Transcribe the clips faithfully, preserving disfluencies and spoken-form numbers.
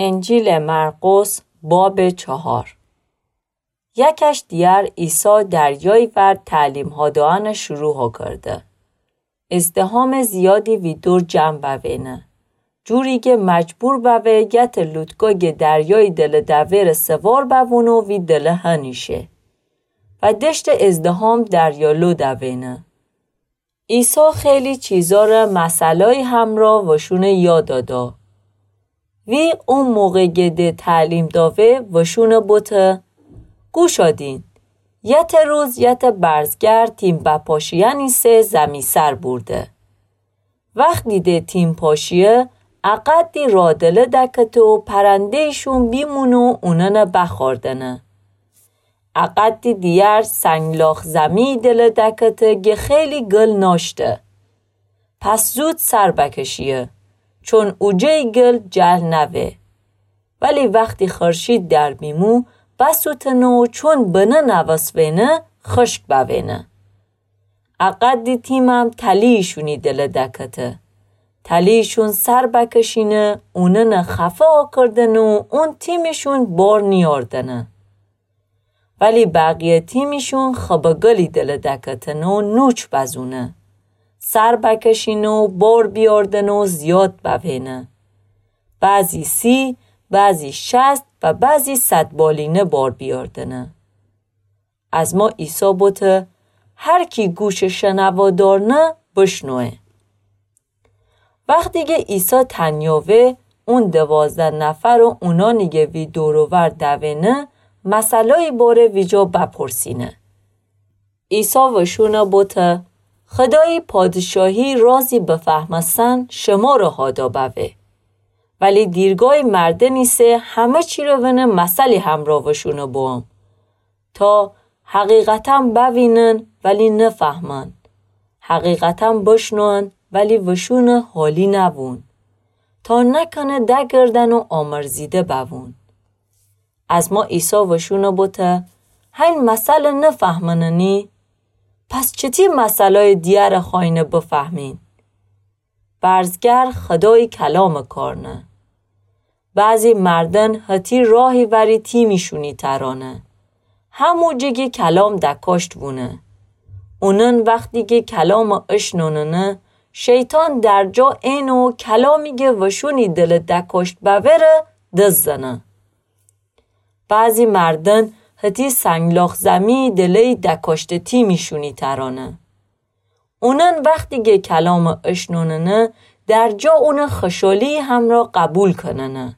انجیلٚ مرقس، بابٚ چهار. یکش دیگر عیسی دریایٚ ور تعلیمها دئنٚ شروع کرده. ازدحامٚ زیادی وی دور جمع بوینه، جوری کی مجبور بوه یتأ لوتکا کی دریایٚ دلٚ دویرٚ سوار بوونه و وی دلٚ هنیشه و دشتٚ ازدحام دریالو دوینه. عیسی خیلی چیزأره مثلأیی همرأ وشونٚ یاد دا. وی او موقع کی ده تعلیم دأوه وشونٚ بوته: گوش دین، یتأ روز یتأ برزگر تیم بپاشیأنٚ ایسه زمی‌سر بورده. وختی ده تیم پاشیه، اقدی رادلٚ دکته و پرنده‌یشون بیمونه و اونأنه بخوردنه. اقدی دیگر سنگلاخ زمی‌یٚ دلٚ دکته کی خیلی گل نأشته. پس زود سر بکشیه، چون اوجه‌یٚ گل جلب نوه. ولی وختی خورشید در بیمو، بسوتنه و چون بنه نوسوینه، خشک بوینه. اقدی تیمم تلی‌یشونی دلٚ دکته. تلی‌یشون سر بکشینه، اونأنه خفه کردنه و اون تیمٚ شون بار نیأردنه. ولی بقیه تیمٚ شون خبٚ گلی دلٚ دکتنه و نوچ بزونه. سر بکشینه و بار بیأردنه و زیاد بوینه. بعضی سی، بعضی شصت و بعضی صد بالینه بار بیأردنه. ازما عیسی بوته: هر کی گوشٚ شنوا دأرنه، بشنوه. وختی کی عیسی تنیا وه، اون دوازده نفر و اونأنی کی وی دور و ور دوینه، مثلأیی باره ویجا بپرسینه. عیسی وشونه بوته: خودایٚ پادشاهی رازی بفهمستن شمره هادا بوه. ولی دیرگایٚ مردن ایسه همه چیره ونه مثلی همرأ وشونه بوم. تا حقیقتا بوینن ولی نفهمن، حقیقتا بشنون ولی وشونه حالی نوون، تا نکنه دگردن و آمرزیده بوون. ازما عیسی وشونه بوته: هین مثله نفهمننی؟ پس چتی مثلأیٚ دیگره خوأینه بفهمین؟ برزگر خودایٚ کلامٚ کارنه. بعضی مردن هتی راهی وری تیمیشونی ترانه، همو جه کی کلام دکاشت وونه. اونن وختی کی کلامٚ اشنوننه، شیطان در جا اینه و کلامی کی وشونی دلٚ دکاشت بوره دزدنه. بعضی مردن هتی سنگلاخ زمی دله‌یی دکاشته تیمیشونی ترانه. اونن وختی کی کلامٚ اشنوننه، در جا اونه خوشحالی همرأ قبول کننه.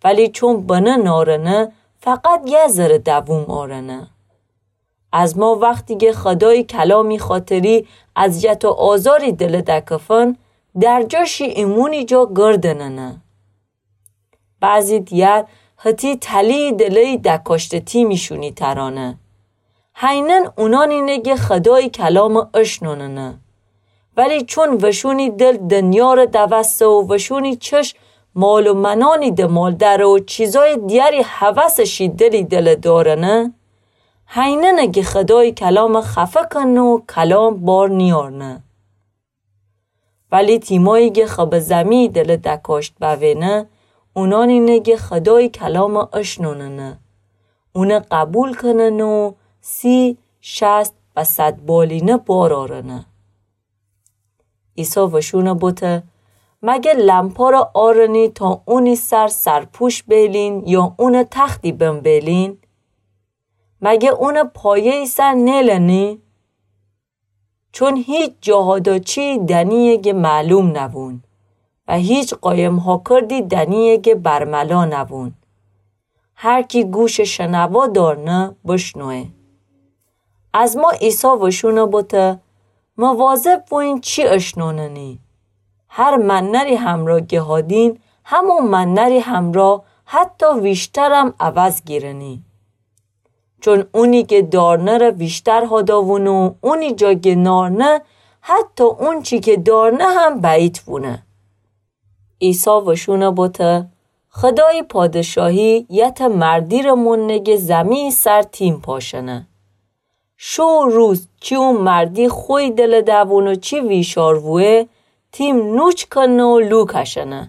ولی چون بنه نارنه، فقط یه ذره دووم آرنه. ازما وختی کی خودایٚ کلامی خاطری اذیت و آزاری دلٚ دکفن، در جا شی ایمونی جا گردننه. بعضی دیگر هتی تلی‌یٚ دله‌یی دکاشته تیمیشونی ترانه. هینن اونانینه کی خودایٚ کلامٚ اشنوننه. ولی چون وشونی دل دنیاره دوسته و وشونی چشم مال و منانی دمال دره و چیزایٚ دیگری هوسٚ شی دلی دلٚ دارنه، هیننه کی خودایٚ کلامٚ خفه کنه و کلام بار نیارنه. ولی تیمایی کی خبٚ زمی دلٚ دکاشت بوینه، اونانینه کی خودایٚ کلامٚ اشنوننه، اونه قبول کننه و سی، شصت و صد بالینه بار آرنه. عیسی وشونه بوته: مگه لمپاره آرنی تا اونی سر سرپوش بیلین یا اونٚ تختی بن بیلین؟ مگه اونٚ پایه‌یی سر نیلنی؟ چون هیچ جاهادا چی دنییه کی معلوم نوون و هیچ قایم‌هاکردی دنییه کی برملا نوون. هر کی گوشٚ شنوا دارنه، بشنوه. ازما عیسی وشونه بوته: مواظب بوین چی اشنوننی. هر منری همرا کی هادین، همو منری همرا حتی ویشترم عوض گیرنی. چون اونی کی دارنه ره ویشتر هاداوونه و اونی جا کی نارنه، حتی اونچی کی دارنه هم بعید وونه. عیسی وشونه بوته: خودایٚ پادشاهی یتأ مردی ره موننه کی زمی‌یٚ سر تیم پاشنه. شو روز چی او مردی خویٚ دلٚ دوون و چی ویشار وویه، تیم نوچ کنه و لو کشنه.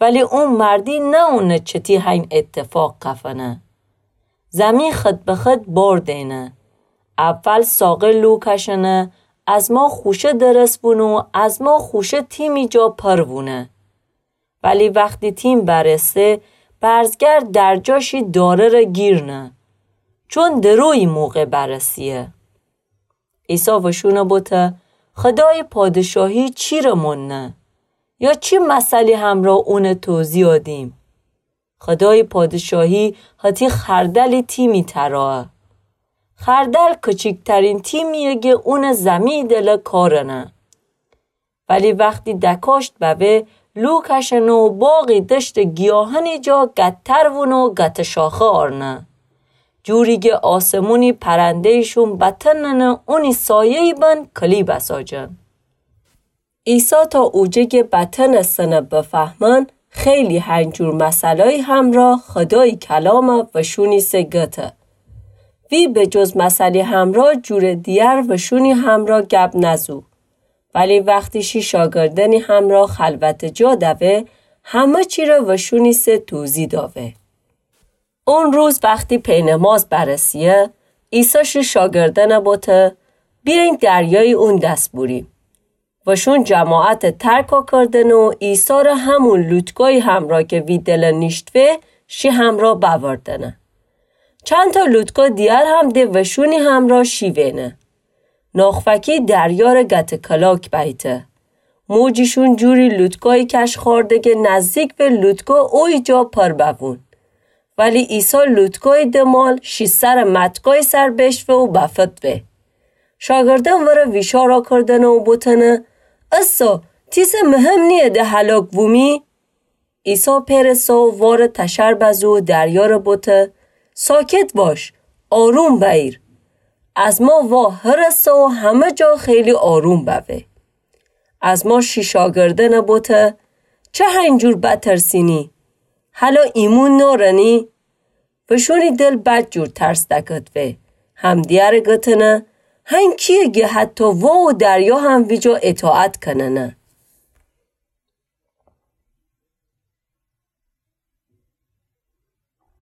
ولی اون مردی نه‌اونه چتی هین اتفاق کفنه. زمی خط به خط بار دینه. اول ساقه لو کشنه، از ما خوشه درس بونه و از ما خوشه تیمی جا پر وونه. ولی وختی تیم برسه، برزگر در جا شی داره‌ره گیر نه. چون درویی موقع برسیه. عیسی وشونه بوته، خدای پادشاهی چیره مونه؟ یا چی مثلی همرا اونه توضیح دیم؟ خدای پادشاهی هتی خردلی تیمی تراه. خردل کچیکترین تیمیه گه اونه زمی دله کارنه. ولی وختی دکاشت بوه، لو کشنه و باغی دشت گیاهنی جا گتر وونه و گت شاخه آرنه. جوری گه آسمونی پرنده‌یشون بتننه اونی سایه‌ی بن کلی بساجن. عیسی تا اوجه گه بتنستنه بفهمن، خیلی هنجور مثلایی همرا خدای کلامه وشونی سه گته. وی به جز مثلی همرا جور دیگر وشونی همرا گب نزو. ولی وختی شی شاگردنی همرا خلوت جا دوه، همه چی ره وشونی سه توضیح داوه. اون روز وختی پینماز برسیه، عیسی شی شاگردنه بوته، بیاین دریای اون دس بوریم. وشون جماعت ترکا کردنه و عیسی ره همون لوتکای همرا که وی دله نیشتوه، شی همرا بوردنه. چند تا لوتکا دیگر هم ده وشونی همرا شیوینه. ناخفکی دریا ره گت کلاک بیته. موجیشون جوری لوتکای کش خورده گه نزدیک به لوتکا اوی جا پر بوون. ولی عیسی لوتکای دمال شی سر متکای سر بشوه و بفتوه. شاگردن وره ویشارا کردنه و بوتنه، اسا، تیسه مهم نیه ده هلاک وومی؟ عیسی پئر سه و واره تشر بزو و دریا ره بوته، ساکت باش، آروم بئیر. از ما وا هرسه و همه جا خیلی آروم بوه. از ما شی شاگردنه بوته، چه هنجور بترسینی؟ هلا ایمون نارنی؟ وشونی دل بد جور ترس دکتوه. همدیگره گتنه، هن کیه گه حتی وا و دریا هم ویجا اطاعت کننه؟